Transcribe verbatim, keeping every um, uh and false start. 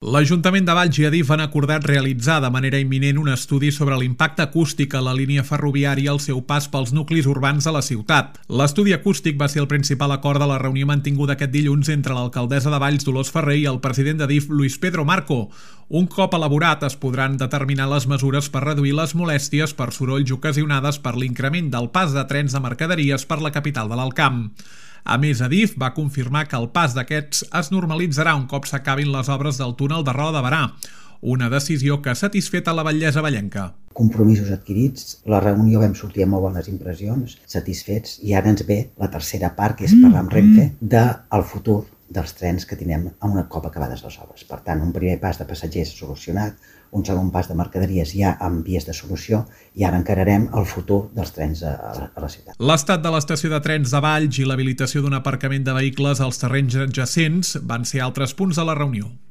L'Ajuntament de Valls i Adif han acordat realitzar de manera imminent un estudi sobre l'impacte acústic a la línia ferroviària al seu pas pels nuclis urbans de la ciutat. L'estudi acústic va ser el principal acord de la reunió mantinguda aquest dilluns entre l'alcaldessa de Valls, Dolors Ferrer, i el president d'Adif, Luis Pedro Marco. Un cop elaborat, es podran determinar les mesures per reduir les molèsties per sorolls ocasionades per l'increment del pas de trens de mercaderies per la capital de l'Alt Camp. A més, Adif va confirmar que el pas d'aquests es normalitzarà un cop s'acabin les obres del túnel de Roda de Berà, una decisió que ha satisfet a la batllessa vallenca. Compromisos adquirits, la reunió vam sortir amb molt bones impressions, satisfets, i ara ens ve la tercera part, que és parlar amb Renfe del futur dels trens que tindrem un cop acabades les obres. Per tant, un primer pas de passatgers solucionat, un segon pas de mercaderies ja amb vies de solució, i ara encararem el futur dels trens a la, a la ciutat. L'estat de l'estació de trens de Valls i l'habilitació d'un aparcament de vehicles als terrenys adjacents van ser altres punts de la reunió.